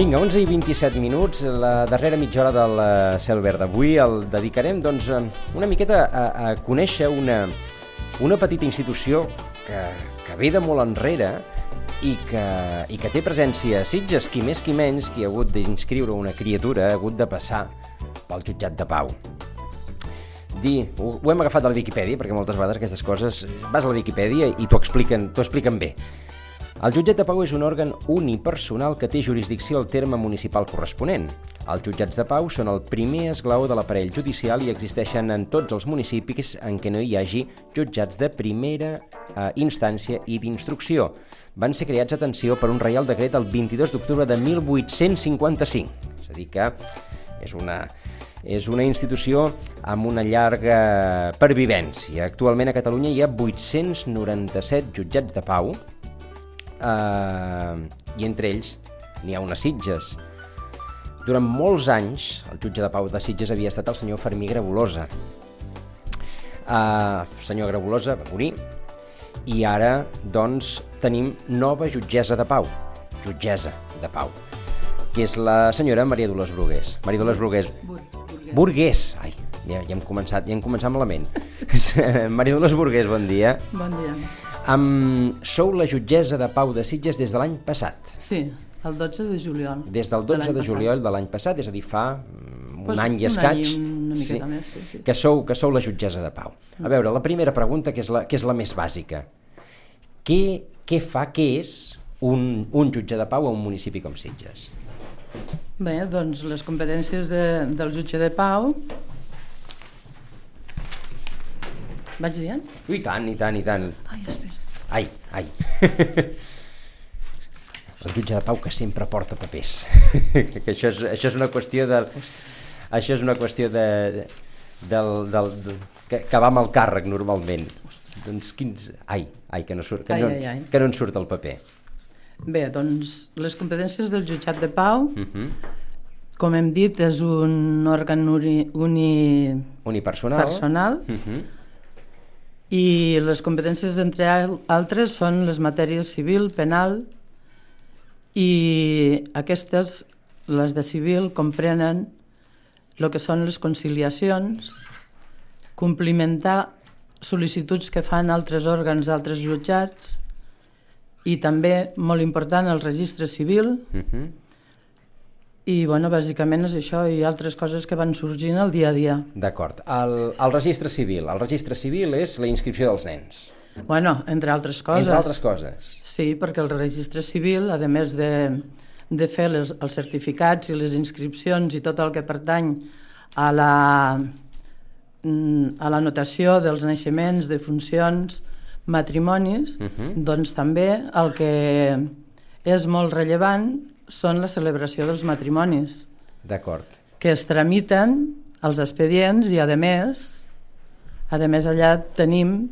Vinga, 11 i 27 minuts, la darrera mitja hora del Cel Verd d'avui el dedicarem doncs, una miqueta a conèixer una petita institució que ve de molt enrere i que té presència a Sitges, qui més qui menys, qui ha hagut d'inscriure una criatura, ha hagut de passar pel jutjat de pau. Ho hem agafat de la Viquipèdia, perquè moltes vegades aquestes coses vas a la Viquipèdia i t'ho expliquen bé. El jutjat de pau és un òrgan unipersonal que té jurisdicció al terme municipal corresponent. Els jutjats de pau són el primer esglaó de l'aparell judicial i existeixen en tots els municipis en què no hi hagi jutjats de primera instància i d'instrucció. Van ser creats, atenció, per un reial decret el 22 d'octubre de 1855. És a dir que és una institució amb una llarga pervivència. Actualment a Catalunya hi ha 897 jutjats de pau, i entre ells n'hi ha una Sitges. Durant molts anys el jutge de pau de Sitges havia estat el senyor Fermí Grabolosa. Senyor Grabolosa va morir i ara doncs tenim nova jutgessa de pau, que és la senyora Maria Dolors Brugués. Maria Dolors Burgués. Ai, ja hem començat malament. Maria Dolors Burgués, bon dia. Bon dia. Sou la jutgessa de pau de Sitges des de l'any passat. Sí, el 12 de juliol. Des del 12 de juliol de l'any passat, és a dir, fa un any i escaig. Una miqueta més, sí. Que sou la jutgessa de pau. A veure, la primera pregunta, que és la més bàsica. Què és un jutge de pau a un municipi com Sitges? Bé, doncs les competències del jutge de pau... Vaig dient? I tant. Ai, espera. Ai. El jutge de pau que sempre porta papers. Que això és una qüestió que va amb el càrrec normalment. Doncs quins... que no en surt el paper. Bé, doncs les competències del jutjat de pau, com hem dit, és un òrgan unipersonal. I les competències, entre altres, són les matèries civil, penal, i aquestes, les de civil, comprenen el que són les conciliacions, complimentar sol·licituds que fan altres òrgans d'altres jutjats, i també, molt important, el registre civil, i, bàsicament és això i altres coses que van sorgint al dia a dia. D'acord. El registre civil. El registre civil és la inscripció dels nens. Entre altres coses. Entre altres coses. Sí, perquè el registre civil, a més de fer els certificats i les inscripcions i tot el que pertany a la notació dels naixements, defuncions, matrimonis, doncs també el que és molt rellevant són la celebració dels matrimonis. D'acord. Que es tramiten els expedients i, a més allà tenim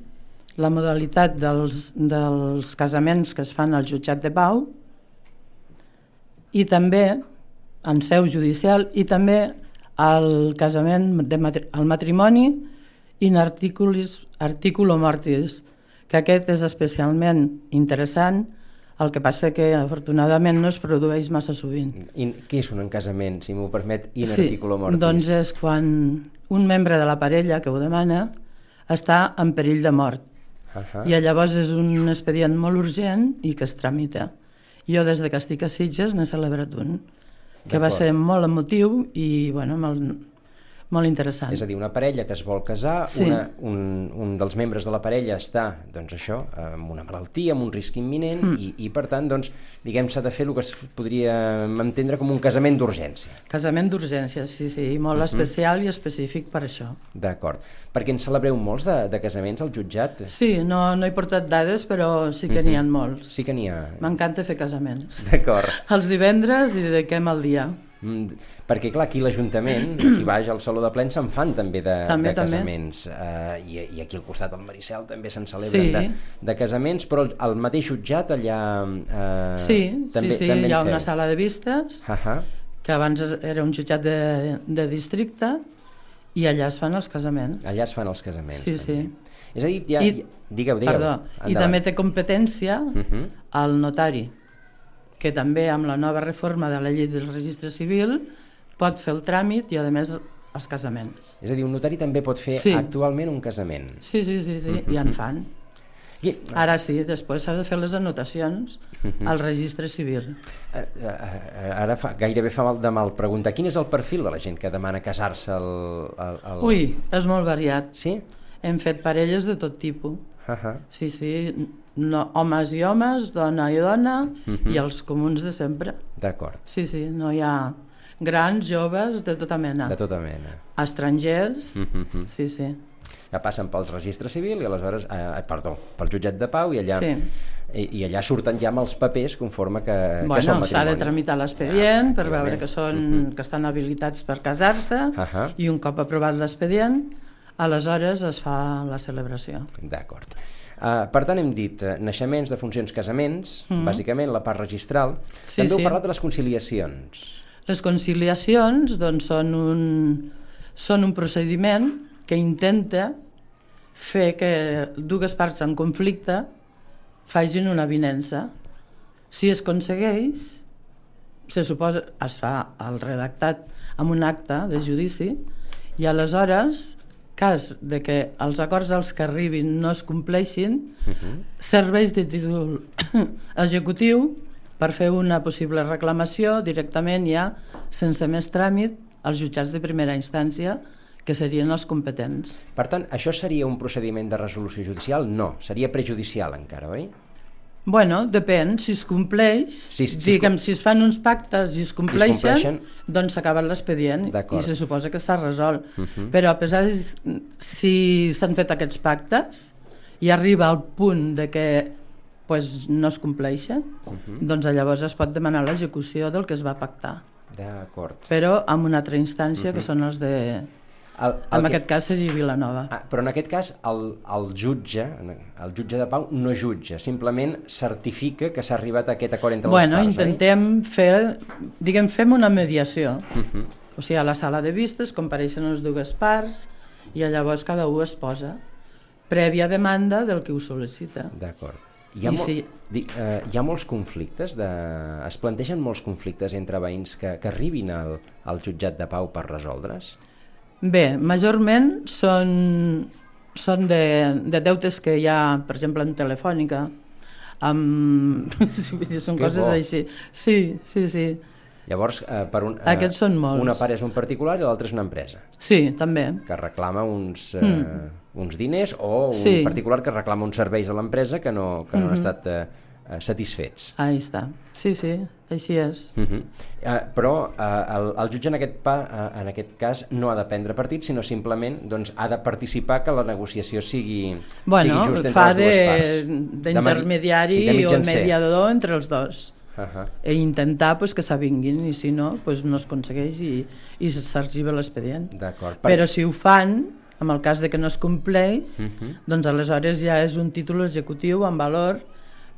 la modalitat dels casaments que es fan al jutjat de pau i també en seu judicial i també el casament, el matrimoni in articulo mortis, que aquest és especialment interessant. El que passa que, afortunadament, no es produeix massa sovint. Què és un casament, si m'ho permet, in articulo mortis? Sí, doncs és quan un membre de la parella que ho demana està en perill de mort. I llavors és un expedient molt urgent i que es tramita. Jo, des que estic a Sitges, n'he celebrat un, que va ser molt emotiu i, molt interessant. És a dir, una parella que es vol casar, un dels membres de la parella està, doncs això, amb una malaltia, amb un risc imminent i per tant, doncs, diguem, s'ha de fer el que es podria entendre com un casament d'urgència. Casament d'urgència, sí, molt especial i específic per això. D'acord. Perquè en celebreu molts de casaments al jutjat? Sí, no he portat dades, però sí que n'hi ha molts. Sí que n'hi ha. M'encanta fer casaments. D'acord. Els divendres i dediquem el dia. Perquè clar, aquí l'Ajuntament, aquí baix al Saló de Plens se'n fan també de casaments i aquí al costat del Maricel també se'n celebren de casaments, però al mateix jutjat allà també hi ha una sala de vistes que abans era un jutjat de districte i allà es fan els casaments. Allà es fan els casaments. Sí. És a dir, digueu. Perdó, i també té competència el notari. que també amb la nova reforma de la llei del registre civil pot fer el tràmit i a més els casaments. És a dir, un notari també pot fer actualment un casament. Sí, i en fan. Ara sí, després s'ha de fer les anotacions al registre civil. Ara gairebé fa mal preguntar, quin és el perfil de la gent que demana casar-se al... Ui, és molt variat. Sí? Hem fet parelles de tot tipus. Sí, homes i homes, dona i dona, i els comuns de sempre. D'acord. Sí, no hi ha grans, joves, de tota mena. De tota mena. Estrangers, sí. Que passen pel registre civil i aleshores, pel jutjat de pau i allà surten ja amb els papers conforme que són matrimoni. S'ha de tramitar l'expedient per veure que estan habilitats per casar-se i un cop aprovat l'expedient, aleshores es fa la celebració. D'acord. Per tant, hem dit naixements, defuncions, casaments, bàsicament la part registral. També heu parlat de les conciliacions. Les conciliacions són un procediment que intenta fer que dues parts en conflicte facin una avinença. Si es aconsegueix, se suposa, es fa el redactat amb un acte de judici i aleshores, cas de que els acords als que arribin no es compleixin, serveix de títol executiu per fer una possible reclamació directament ja, sense més tràmit, als jutjats de primera instància, que serien els competents. Per tant, això seria un procediment de resolució judicial? No, seria prejudicial encara, oi? Bueno, depèn, si es compleix, si es fan uns pactes i es compleixen, doncs s'ha acabat l'expedient i se suposa que s'ha resolt. Però a pesar de si s'han fet aquests pactes i arriba al punt de que no es compleixen, doncs llavors es pot demanar l'execució del que es va pactar. D'acord. Però amb una altra instància que són els de... En aquest cas seria Vilanova. Però en aquest cas el jutge de pau no jutja, simplement certifica que s'ha arribat a aquest acord entre les parts. Intentem fem una mediació. O sigui, a la sala de vistes compareixen les dues parts i llavors cada un es posa prèvia demanda del que ho sol·licita. D'acord. Hi ha molts conflictes, es plantegen molts conflictes entre veïns que arribin al jutjat de pau per resoldre's? Bé, majorment són de deutes que hi ha, per exemple, en Telefònica, són coses així. Sí. Llavors, aquests són molts. Una part és un particular i l'altra és una empresa. Sí, també. Que reclama uns diners o un particular que reclama uns serveis a l'empresa que no han estat satisfets. Ahí està. Sí, així és. Però el jutge en aquest cas no ha de prendre partit, sinó simplement ha de participar que la negociació sigui just entre les dues parts. D'intermediari o mediador entre els dos. I intentar que s'avinguin, i si no, no es aconsegueix i s'arxiva l'expedient. Però si ho fan, en el cas de que no es compleix, doncs aleshores ja és un títol executiu en valor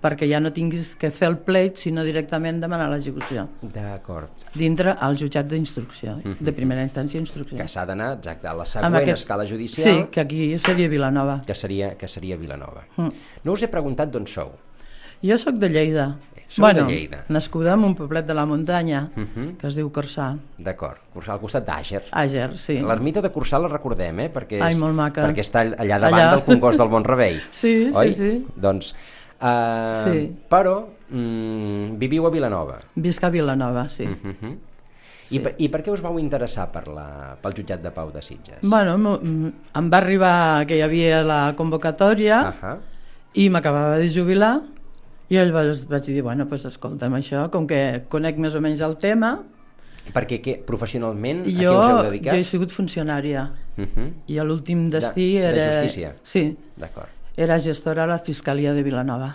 perquè ja no tinguis que fer el pleit, sinó directament demanar l'execució. D'acord. Dintre al jutjat d'instrucció, de primera instància d'instrucció. Que s'ha d'anar, exacte, a la següent escala judicial. Sí, que aquí seria Vilanova. Que seria Vilanova. No us he preguntat d'on sou. Jo sóc de Lleida. De Lleida. Nascuda en un poblet de la muntanya, que es diu Corçà. D'acord, Corçà, al costat d'Àger. Àger, sí. L'ermita de Corçà la recordem, perquè molt maca. Perquè està allà davant del Congost del Bon Rebei. Sí. Doncs... Però viviu a Vilanova. Visc a Vilanova, sí. I per què us vau interessar pel jutjat de pau de Sitges? Bueno, em va arribar que hi havia la convocatòria i m'acabava de jubilar i llavors vaig dir, bueno, escolta'm això, com que conec més o menys el tema... Perquè professionalment a què us heu dedicat? Jo he sigut funcionària i l'últim destí era... De justícia? Sí. D'acord. Era gestora a la Fiscalia de Vilanova.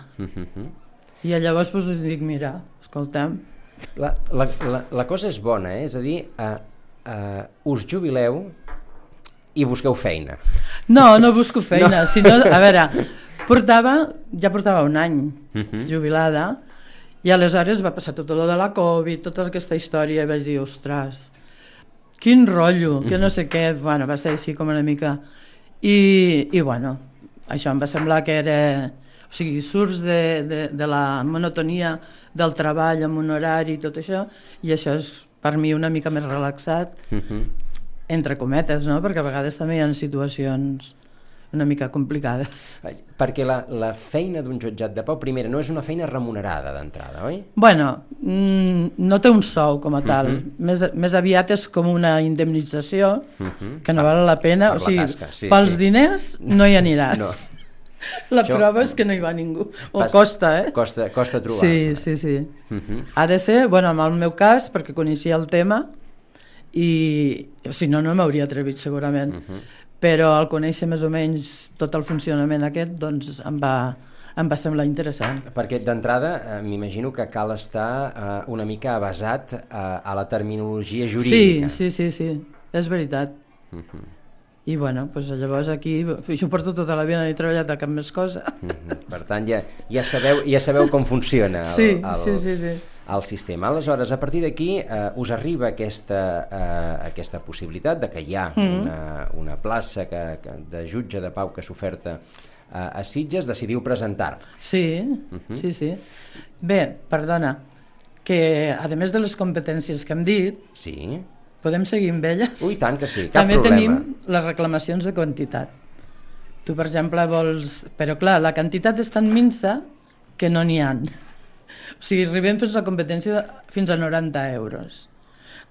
I llavors dic, mira, escolta'm... La cosa és bona, és a dir, us jubileu i busqueu feina. No busco feina, sinó, a veure, ja portava un any jubilada i aleshores va passar tot allò de la Covid, tota aquesta història, i vaig dir, ostres, quin rotllo, que no sé què, bueno, va ser així com una mica... I bueno, això em va semblar que era O sigui, surts de la monotonia del treball amb un horari i tot això, i això és per mi una mica més relaxat, entre cometes, no? Perquè a vegades també hi ha situacions una mica complicades. Perquè la feina d'un jutjat de pau, primera, no és una feina remunerada d'entrada, oi? Bueno, no té un sou com a tal. Més aviat és com una indemnització que no val la pena. O sigui, pels diners no hi aniràs. No. La prova és que no hi va ningú. Costa, eh? Costa trobar. Sí. Ha de ser, bueno, en el meu cas, perquè coneixia el tema, i si no, no m'hauria atrevit segurament. Però al conèixer més o menys tot el funcionament aquest, doncs em va semblar interessant. Perquè d'entrada m'imagino que cal estar una mica avasat a la terminologia jurídica. Sí, és veritat. I bueno, doncs llavors aquí jo porto tota la vida, no he treballat a cap més cosa. Per tant, ja sabeu com funciona el sistema. Aleshores, a partir d'aquí us arriba aquesta possibilitat de que hi ha una plaça de jutge de pau que s'oferta a Sitges, decidiu presentar. Sí. Bé, perdona, que a més de les competències que hem dit, podem seguir amb elles? Ui, tant que sí, cap també problema. Tenim les reclamacions de quantitat. Tu, per exemple, vols... Però clar, la quantitat és tan minsa que no n'hi ha. O sigui, arribem fins a la competència fins a 90 euros.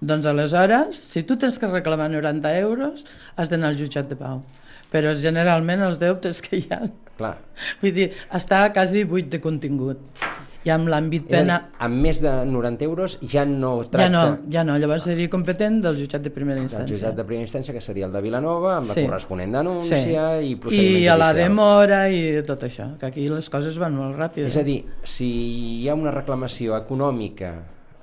Doncs aleshores, si tu tens que reclamar 90 euros, has d'anar al jutjat de pau. Però generalment els deutes que hi ha... Clar. Vull dir, està quasi buit de contingut. I amb l'àmbit penal... Amb més de 90 euros ja no tracta... Ja no, llavors seria competent del jutjat de primera instància. Del jutjat de primera instància, que seria el de Vilanova, amb la corresponent denúncia i procediment judicial. I a la demora i tot això, que aquí les coses van molt ràpides. És a dir, si hi ha una reclamació econòmica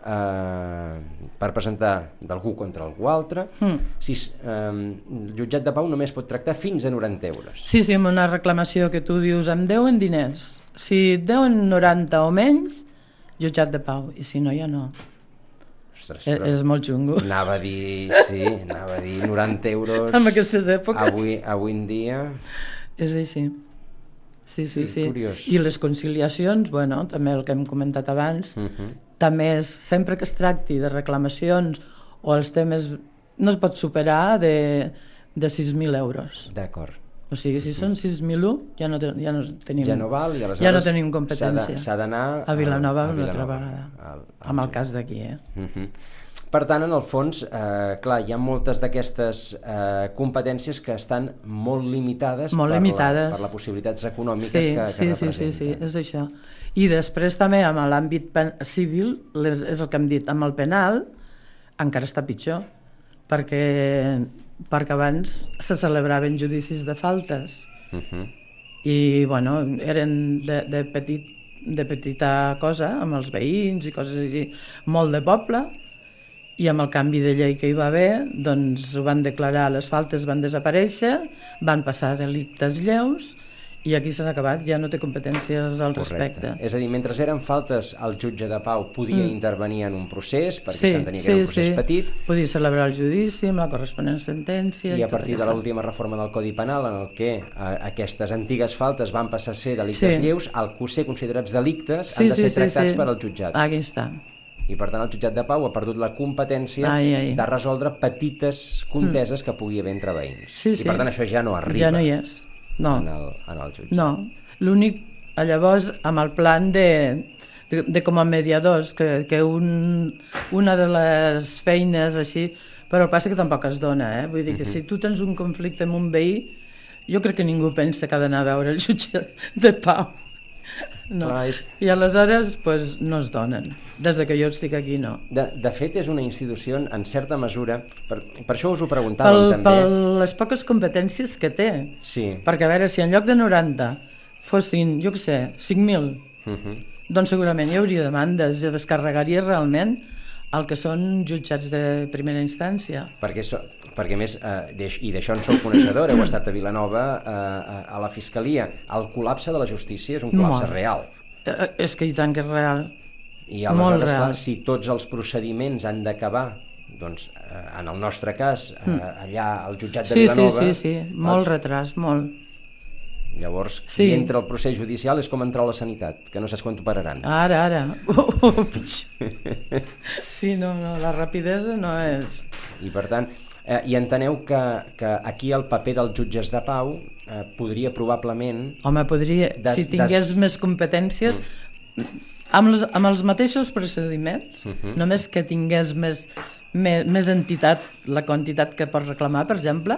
per presentar d'algú contra algú altre, el jutjat de pau només pot tractar fins a 90 euros. Sí, amb una reclamació que tu dius em deuen diners. Si et deuen 90 o menys, jutjat de pau, i si no, ja no. Ostres, és molt xungo. Anava a dir 90 euros... En aquestes èpoques. Avui en dia... És així. Sí. Curiós. I les conciliacions, bueno, també el que hem comentat abans, també és, sempre que es tracti de reclamacions o els temes, no es pot superar de 6.000 euros. D'acord. O sigui, si són 6.001, ja no tenim... Ja no val, i aleshores ja no tenim competència. S'ha d'anar a Vilanova una altra vegada, amb el cas d'aquí. Per tant, en el fons, clar, hi ha moltes d'aquestes competències que estan molt limitades, per les possibilitats econòmiques que representen. Sí, és això. I després també amb l'àmbit civil, és el que hem dit, amb el penal encara està pitjor, perquè abans se celebraven judicis de faltes i bueno, eren de petita cosa amb els veïns i coses així, molt de poble, i amb el canvi de llei que hi va haver doncs ho van declarar, les faltes van desaparèixer, van passar a delictes lleus i aquí s'han acabat, ja no té competències al respecte. És a dir, mentre eren faltes, el jutge de pau podia intervenir en un procés, perquè s'entenia que era un procés petit. Podia celebrar el judici amb la corresponent sentència. I a partir de l'última reforma del Codi Penal, en el que aquestes antigues faltes van passar a ser delictes lleus, al ser considerats delictes han de ser tractats per al jutjat. Aquí està. I per tant el jutjat de pau ha perdut la competència de resoldre petites conteses que pugui haver entre veïns. I per tant això ja no arriba. Ja no hi és. No. En el jutjat. No, l'únic, llavors, amb el plan de com a mediadors, que una de les feines així, però passa que tampoc es dona, vull dir que si tu tens un conflicte amb un veí, jo crec que ningú pensa que ha d'anar a veure el jutge de pau. No. I aleshores pues, no es donen. Des que jo estic aquí no. De fet és una institució en certa mesura, per això us ho preguntàvem també. Per les poques competències que té. Sí. Perquè a veure, si en lloc de 90 fossin, jo què sé, 5.000, doncs segurament hi hauria demandes i descarregaria realment el que són jutjats de primera instància. Perquè més, i d'això en sou coneixedor, heu estat a Vilanova, a la Fiscalia, el col·lapse de la justícia és un col·lapse real. És que i tant que és real. I aleshores, clar, si tots els procediments han d'acabar, doncs, en el nostre cas, allà al jutjat de Vilanova... Sí, molt retras, molt. Llavors, si entra al procés judicial és com entrar a la sanitat, que no saps quan t'operaran. Ara. Sí, no, la rapidesa no és... I per tant, i enteneu que aquí el paper dels jutges de pau podria probablement... Home, podria, si tingués més competències, amb els mateixos procediments, només que tingués més entitat, la quantitat que pots reclamar, per exemple,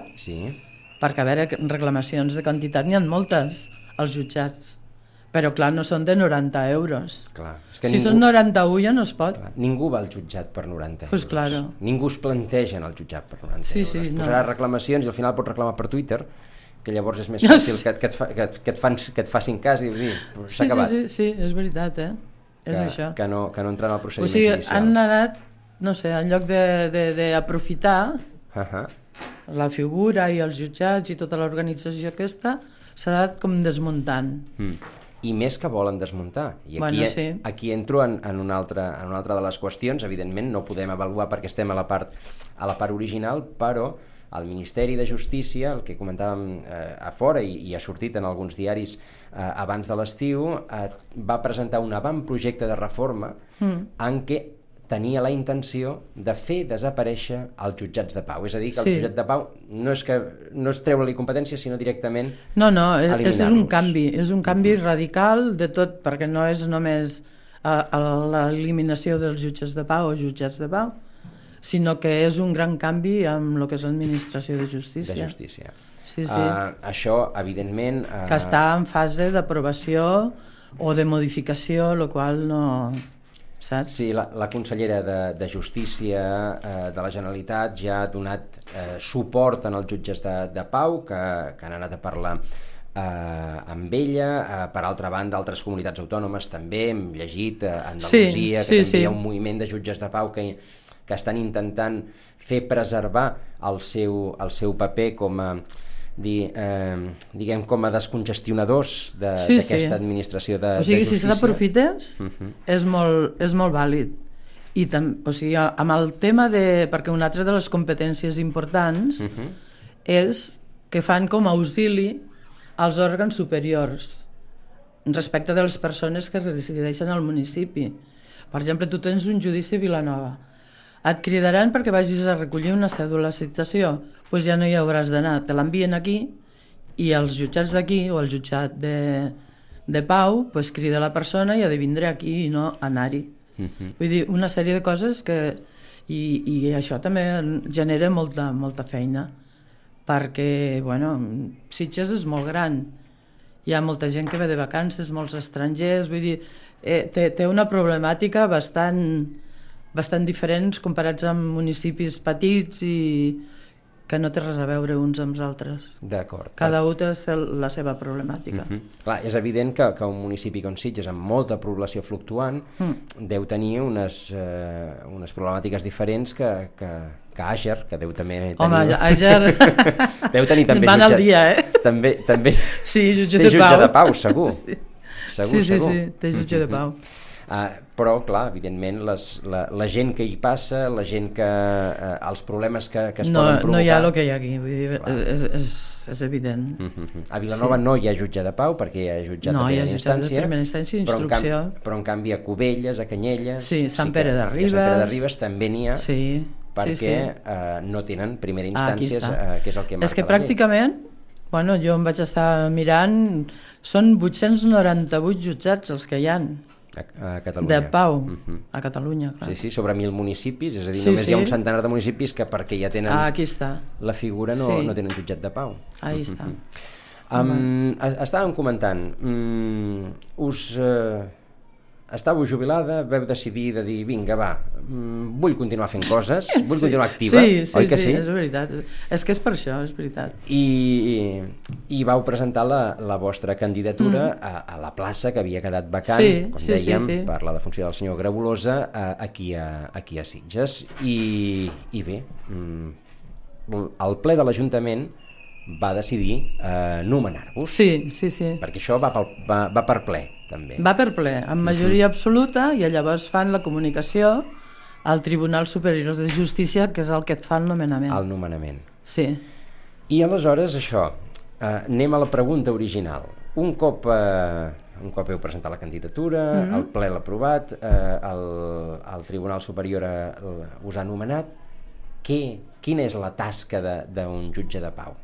perquè a veure, reclamacions de quantitat n'hi ha moltes als jutjats, però clar, no són de 90 euros. Clar, si són 91 ja no es pot. Clar, ningú va al jutjat per 90 euros. Pues claro. Ningú es planteja en el jutjat per 90 euros. Es posarà reclamacions i al final pots reclamar per Twitter, que llavors és més fàcil que et facin cas i dir, s'ha acabat. Sí, és veritat, és això. Que no entrar en el procediment judicial. Han anat, no sé, en lloc d'aprofitar la figura i els jutjats i tota l'organització aquesta, s'ha anat com desmuntant. I més que volen desmuntar. I aquí entro en una altra de les qüestions. Evidentment no podem avaluar perquè estem a la part original, però el Ministeri de Justícia, el que comentàvem a fora i ha sortit en alguns diaris abans de l'estiu, va presentar un avantprojecte de reforma en què tenia la intenció de fer desaparèixer els jutjats de pau. És a dir, que el jutjat de pau no és treure-li competències, sinó directament eliminar-los. És un canvi radical de tot, perquè no és només l'eliminació dels jutges de pau o jutjats de pau, sinó que és un gran canvi amb el que és l'administració de justícia. De justícia. Sí. Això, evidentment... Que està en fase d'aprovació o de modificació, el qual no... Saps? Sí, la consellera de Justícia de la Generalitat ja ha donat suport en els jutges de pau que han anat a parlar amb ella. Per altra banda, altres comunitats autònomes també, hem llegit a Andalusia, que també hi ha un moviment de jutges de pau que estan intentant fer preservar el seu paper com a diguem com a descongestionadors d'aquesta administració de justícia. Si s'aprofites és molt vàlid. I amb el tema perquè una altra de les competències importants és que fan com a auxili als òrgans superiors respecte de les persones que resideixen al municipi. Per exemple, tu tens un judici a Vilanova, et cridaran perquè vagis a recollir una cèdula de citació, doncs ja no hi hauràs d'anar, te l'envien aquí i els jutjats d'aquí o el jutjat de pau crida la persona i ha de vindre aquí i no anar-hi. Vull dir, una sèrie de coses que i això també genera molta feina, perquè Sitges és molt gran, hi ha molta gent que ve de vacances, molts estrangers, vull dir, té una problemàtica bastant diferents comparats amb municipis petits i que no té res a veure uns amb els altres. D'acord. Cada un té la seva problemàtica. Clar, és evident que un municipi com Sitges, amb molta població fluctuant, deu tenir unes problemàtiques diferents que Àger, que deu també tenir... Home, Àger... deu tenir també van al dia, També sí, té jutge de pau, segur. Sí, té jutge de pau. Però, clar, evidentment la gent que hi passa, la gent que els problemes que es poden provocar... No hi ha el que hi ha aquí, vull dir, és evident. A Vilanova no hi ha jutge de pau perquè hi ha jutjat de primera instància. No, hi ha jutjat de primera instància i instrucció. Però en canvi a Cubelles, a Canyelles... Sí, Sant Pere de Ribes... A Sant Pere de Ribes també n'hi ha, perquè no tenen primera instància, que és el que marca la llei. És que pràcticament, jo em vaig estar mirant, són 898 jutjats els que hi ha. A Catalunya. De pau, a Catalunya, clar. Sí, sobre 1.000 municipis, és a dir, només hi ha un centenar de municipis que perquè ja tenen la figura no tenen jutjat de pau. Ahí està. Estàvem comentant, estàveu jubilada, veu decidir de dir, vinga, va, vull continuar fent coses, vull continuar activa, oi que sí? Sí, és veritat. És que és per això, és veritat. I vau presentar la vostra candidatura a la plaça que havia quedat vacant, com dèiem, per la defunció del senyor Grabolosa, aquí a Sitges. I bé, el ple de l'Ajuntament va decidir nomenar-vos. Sí. Perquè això va per ple, també. Va per ple, amb majoria absoluta, i llavors fan la comunicació al Tribunal Superior de Justícia, que és el que et fa el nomenament. El nomenament. Sí. I aleshores això, Anem a la pregunta original. Un cop heu presentat la candidatura, el ple l'ha aprovat, el Tribunal Superior us ha nomenat, quina és la tasca d'un jutge de pau?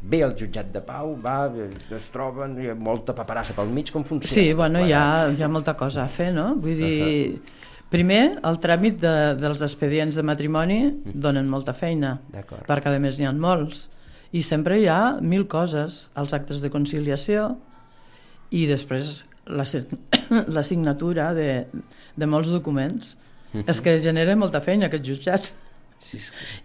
Ve el jutjat de pau, es troben, hi ha molta paperassa pel mig, com funciona? Sí, bueno, hi ha molta cosa a fer, no? Vull dir, primer, el tràmit dels expedients de matrimoni donen molta feina, perquè a més n'hi ha molts. I sempre hi ha 1000 coses, els actes de conciliació i després la signatura de molts documents. És que genera molta feina aquest jutjat.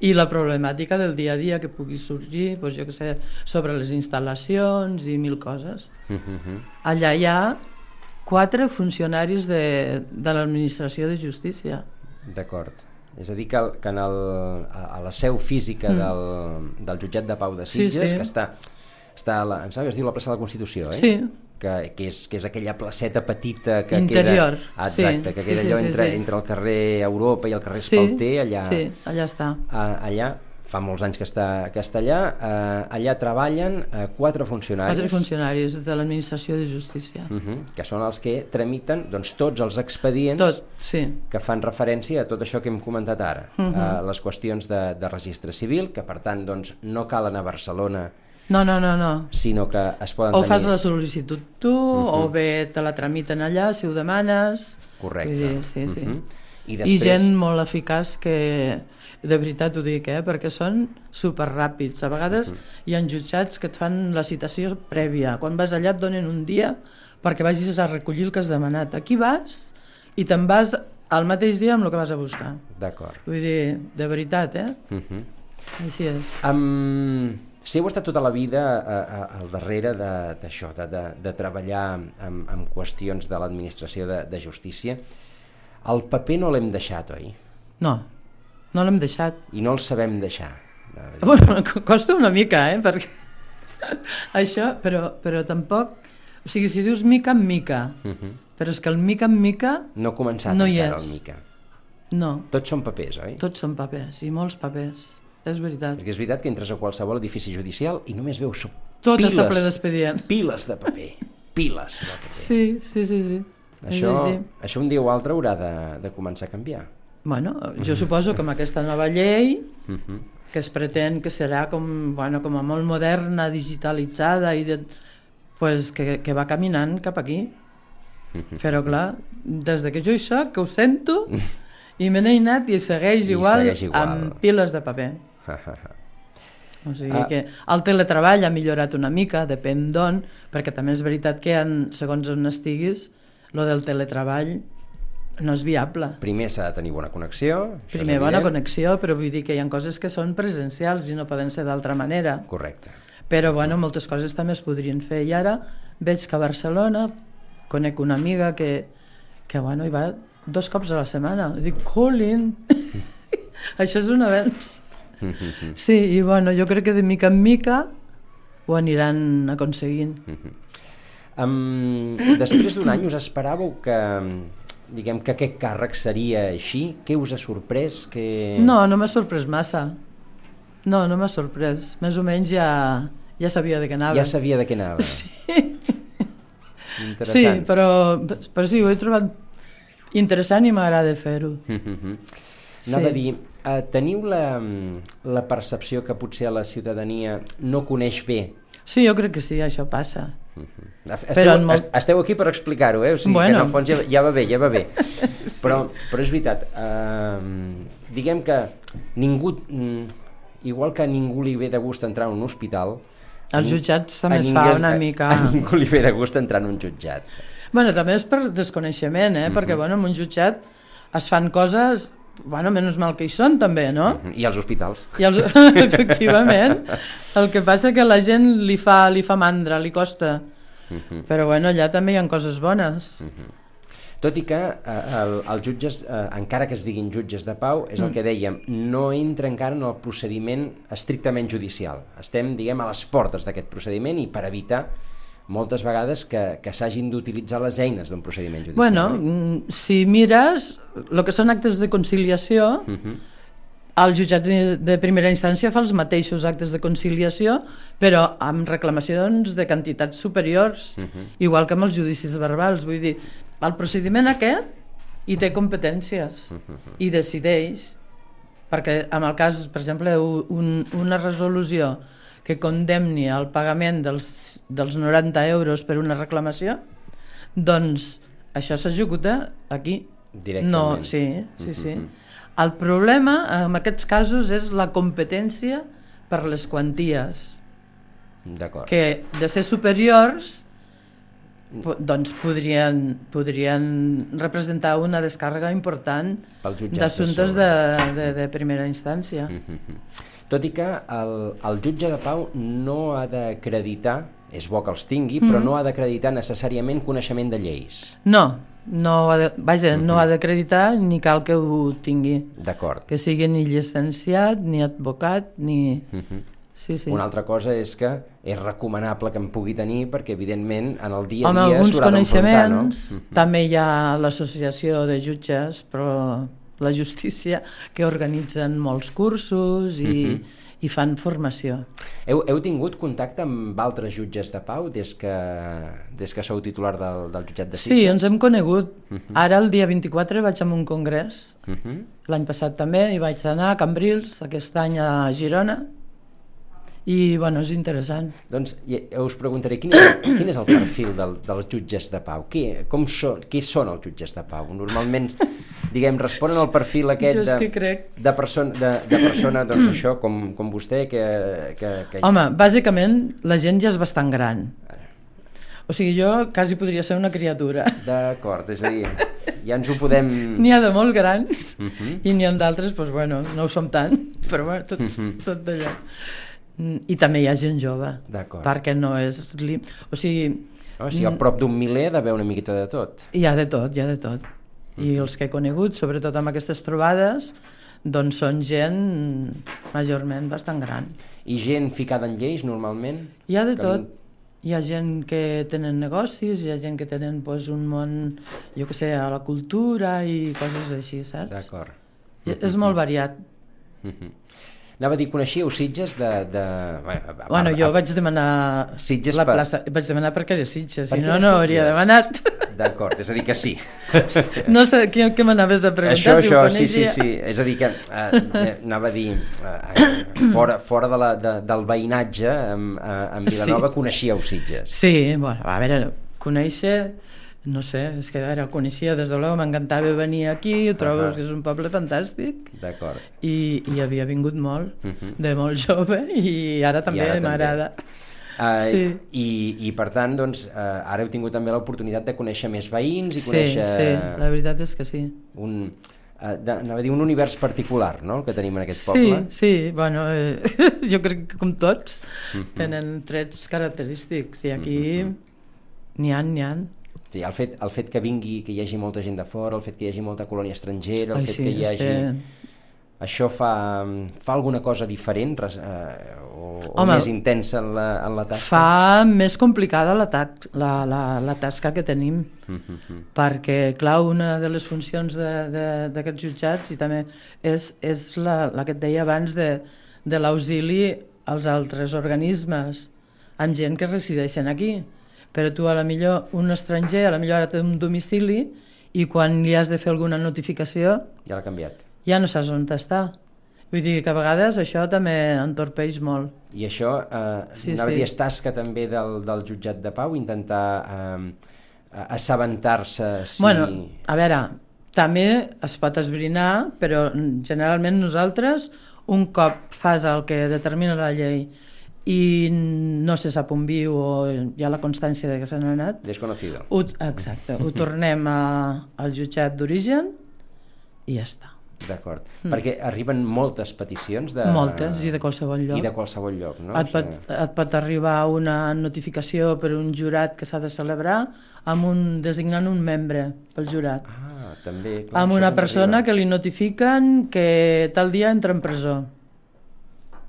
I la problemàtica del dia a dia que pugui sorgir, doncs jo què sé, sobre les instal·lacions i 1000 coses. Allà hi ha 4 funcionaris de l'administració de justícia. D'acord. És a dir, que a la seu física del jutjat de pau de Sitges, que està em sembla que es diu la plaça de la Constitució, Sí. Que és aquella placeta petita que interior. Queda... Exacte, que queda allò entre el carrer Europa i el carrer Espalter, allà... Sí, allà està. Allà, fa molts anys que està allà, allà treballen 4 funcionaris. 4 funcionaris de l'administració de justícia. Que són els que tramiten tots els expedients que fan referència a tot això que hem comentat ara. Les qüestions de registre civil, que per tant no cal anar a Barcelona, no. Sinó que es poden tenir... O fas la sol·licitud tu, o bé te la tramiten allà, si ho demanes... Correcte. Sí. I després... I gent molt eficaç que, de veritat ho dic, perquè són superràpids. A vegades hi ha jutjats que et fan la citació prèvia. Quan vas allà et donen un dia perquè vagis a recollir el que has demanat. Aquí vas i te'n vas al mateix dia amb el que vas a buscar. D'acord. Vull dir, de veritat, Així és. Si heu estat tota la vida al darrere d'això, de treballar amb qüestions de l'administració de justícia, el paper no l'hem deixat, oi? No l'hem deixat. I no el sabem deixar. Bueno, costa una mica, perquè això, però tampoc... O sigui, si dius mica en mica, però és que el mica en mica no ha començat encara el mica. No. Tots són papers, oi? Tots són papers, i molts papers. És veritat. Perquè és veritat que entres a qualsevol edifici judicial i només veus tot està ple d'expedients. Piles de paper. Sí. Això un dia o altre haurà de començar a canviar. Bueno, jo suposo que amb aquesta nova llei que es pretén que serà com a molt moderna, digitalitzada i que va caminant cap aquí. Però clar, des que jo hi soc, que ho sento, i me n'he anat i segueix igual amb piles de paper. O sigui que el teletreball ha millorat una mica, depèn d'on, perquè també és veritat que segons on estiguis, lo del teletreball no és viable. Primer s'ha de tenir bona connexió. Primer bona connexió, però vull dir que hi ha coses que són presencials i no poden ser d'altra manera. Correcte. Però moltes coses també es podrien fer. I ara veig que a Barcelona conec una amiga que hi va 2 cops a la setmana. Dic, Colin, això és un avenç. Sí, i jo crec que de mica en mica ho aniran aconseguint. Després d'un any us esperàveu que aquest càrrec seria així? Què us ha sorprès? No m'ha sorprès massa. No m'ha sorprès. Més o menys ja sabia de què anava. Ja sabia de què anava. Sí. Interessant. Sí, però sí, ho he trobat interessant i m'agrada fer-ho. Anava a dir, teniu la percepció que potser a la ciutadania no coneix bé? Sí, jo crec que sí, això passa. Esteu aquí per explicar-ho, o sigui que en el fons ja va bé. Sí. Però és veritat, diguem que ningú, igual que a ningú li ve de gust entrar en un hospital, als jutjats també es fa una mica... A ningú li ve de gust entrar en un jutjat. També és per desconeixement, perquè en un jutjat es fan coses, menys mal que hi són també, no? I als hospitals. Efectivament. El que passa que la gent li fa mandra, li costa. Però allà també hi ha coses bones. Tot i que els jutges, encara que es diguin jutges de pau, és el que dèiem, no entra encara en el procediment estrictament judicial. Estem, a les portes d'aquest procediment i per evitar moltes vegades que s'hagin d'utilitzar les eines d'un procediment judicial. Si mires el que són actes de conciliació, El jutjat de primera instància fa els mateixos actes de conciliació, però amb reclamacions de quantitats superiors, igual que amb els judicis verbals. Vull dir, el procediment aquest hi té competències i decideix, perquè en el cas, per exemple, una resolució que condemni al pagament dels 90 euros per una reclamació, doncs això s'executa aquí. Directament. No, sí. El problema en aquests casos és la competència per les quanties. D'acord. Que de ser superiors doncs podrien representar una descàrrega important d'assumptes de primera instància. Tot i que el jutge de pau no ha d'acreditar, és bo que els tingui, però no ha d'acreditar necessàriament coneixement de lleis. No ha d'acreditar ni cal que ho tingui. D'acord. Que sigui ni llicenciat, ni advocat, ni... Sí. Una altra cosa és que és recomanable que en pugui tenir perquè, evidentment, en el dia a dia alguns s'haurà d'enfrontar, no? També hi ha l'associació de jutges, però la justícia, que organitzen molts cursos i fan formació. Heu tingut contacte amb altres jutges de pau des que sou titular del jutjat de Sitges? Sí, ens hem conegut. Ara, el dia 24, vaig a un congrés. L'any passat també hi vaig anar a Cambrils, aquest any a Girona, i bueno, és interessant. Doncs us preguntaré, quin és el perfil dels jutges de pau? Què són els jutges de pau? Normalment, responen al perfil aquest de persona, doncs això, com vostè, que... Home, bàsicament, la gent ja és bastant gran. O sigui, jo quasi podria ser una criatura. D'acord, és a dir, ja ens ho podem... N'hi ha de molt grans i n'hi ha d'altres, doncs bueno, no ho som tant, però bueno, tot d'allò. I també hi ha gent jove, perquè no és... O sigui... Si a prop d'un miler ha d'haver una miqueta de tot. Hi ha de tot. I els que he conegut, sobretot amb aquestes trobades, doncs són gent majorment bastant gran. I gent ficada en lleis, normalment? Hi ha de tot. Hi ha gent que tenen negocis, hi ha gent que tenen un món, jo què sé, a la cultura i coses així, saps? D'acord. És molt variat. Anava a dir, coneixíeu Sitges Bueno, jo vaig demanar la plaça, vaig demanar perquè era Sitges, si no, no hauria demanat. D'acord, és a dir que sí. No sé, què m'anaves a preguntar? Això, sí. És a dir que, anava a dir, fora del veïnatge, en Vilanova coneixíeu Sitges. Sí, bueno, a veure, conèixer... No sé, és que ara el coneixia, des de l'hora m'encantava venir aquí, ho trobo que és un poble fantàstic. D'acord. I havia vingut molt, de molt jove, i ara també m'agrada. I per tant, doncs, ara heu tingut també l'oportunitat de conèixer més veïns i conèixer... Sí, la veritat és que sí. Anava a dir un univers particular, no?, el que tenim en aquest poble. Sí, bueno, jo crec que com tots tenen trets característics i aquí n'hi ha. Sí, el fet que hi hagi molta gent de fora, el fet que hi hagi molta colònia estrangera, el fet que hi hagi... Això fa alguna cosa diferent o més intensa en la tasca? Fa més complicada la tasca que tenim, perquè, clar, una de les funcions d'aquests jutjats i també és la que et deia abans de l'auxili als altres organismes, amb gent que resideixen aquí. Però tu, a la millor, un estranger, a la millor ara té un domicili i quan li has de fer alguna notificació... Ja l'ha canviat. Ja no saps on està. Vull dir que a vegades això també entorpeix molt. I això, és tasca també del jutjat de pau, intentar assabentar-se si... Bueno, a veure, també es pot esbrinar, però generalment nosaltres, un cop fas el que determina la llei i no se sap on viu o hi ha la constància de que se n'ha anat... Desconocido. Exacte, ho tornem al jutjat d'origen i ja està. D'acord, perquè arriben moltes peticions de... Moltes, i de qualsevol lloc. I de qualsevol lloc, no? Et pot arribar una notificació per un jurat que s'ha de celebrar designant un membre pel jurat. També. Clar, amb una persona que li notifiquen que tal dia entra en presó.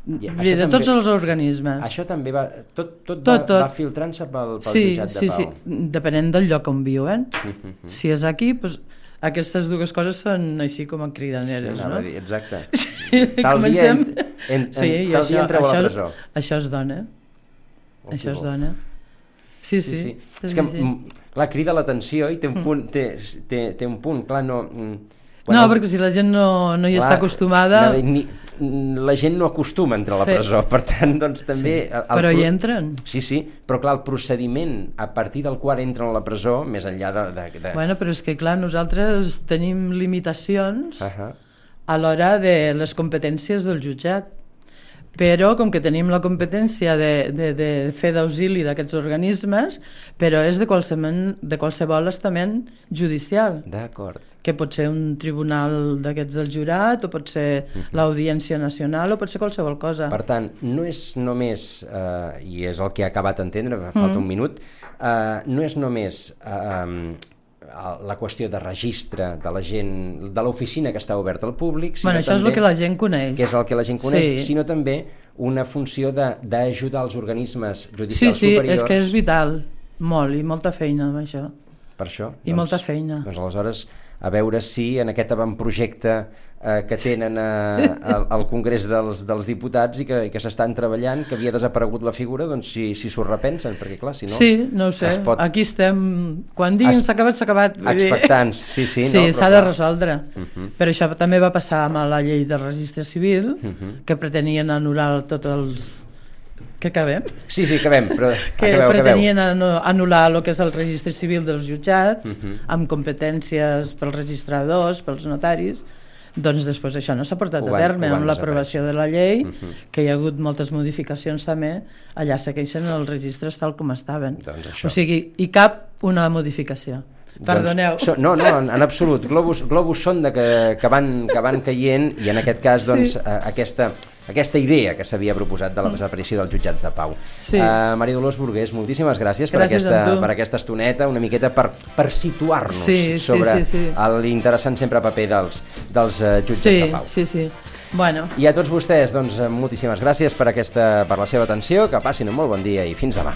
De tots els organismes. Això també va... Tot va filtrant-se pel jutjat de pau. Sí, depenent del lloc on viuen. Si és aquí, doncs, aquestes dues coses són així com a cridaneres, no? Exacte. tal dia entreu a la presó. Això es dona. Això es dona. Sí. És que, clar, crida l'atenció i té un punt, té un punt, clar, no... No, perquè si la gent no hi està acostumada... La gent no acostuma a entrar a la presó, per tant, doncs també... Però hi entren. Sí, però clar, el procediment a partir del qual entren a la presó, més enllà de... Bueno, però és que clar, nosaltres tenim limitacions a l'hora de les competències del jutjat, però com que tenim la competència de fer d'auxili d'aquests organismes, però és de qualsevol estament judicial. D'acord. Que pot ser un tribunal d'aquests del jurat, o pot ser l'Audiència Nacional, o pot ser qualsevol cosa. Per tant, no és només, i és el que he acabat d'entendre, falta un minut, no és només la qüestió de registre de la gent, de l'oficina que està oberta al públic, sinó això també, és el que la gent coneix. Que és el que la gent coneix, sinó també una funció d'ajudar els organismes judicials superiors. Sí, és que és vital, molt, i molta feina amb això. Per això? I molta feina. Doncs aleshores, a veure si en aquest avantprojecte que tenen al Congrés dels Diputats i que s'estan treballant, que havia desaparegut la figura, doncs si s'ho repensen, perquè clar, si no... Sí, no ho sé, aquí estem... Quan diguin s'ha acabat... Expectants, sí. Sí, s'ha de resoldre. Però això també va passar amb la llei del registre civil, que pretenien anul·lar tots els... Que acabem? Sí, acabem, però pretenien anul·lar el que és el registre civil dels jutjats, amb competències pels registradors, pels notaris. Doncs després això no s'ha portat a terme amb l'aprovació de la llei, que hi ha hagut moltes modificacions també, allà segueixen els registres tal com estaven. O sigui, hi cap una modificació. Perdoneu. No, en absolut. Globus sonda que van caient, i en aquest cas doncs, aquesta idea que s'havia proposat de la desaparició dels jutjats de pau. Maria Dolors Burgués, moltíssimes gràcies per aquesta estoneta, una miqueta per situar-nos sobre l'interessant sempre paper dels jutjats de pau. Sí. Bueno. I a tots vostès, doncs, moltíssimes gràcies per la seva atenció, que passin un molt bon dia i fins demà.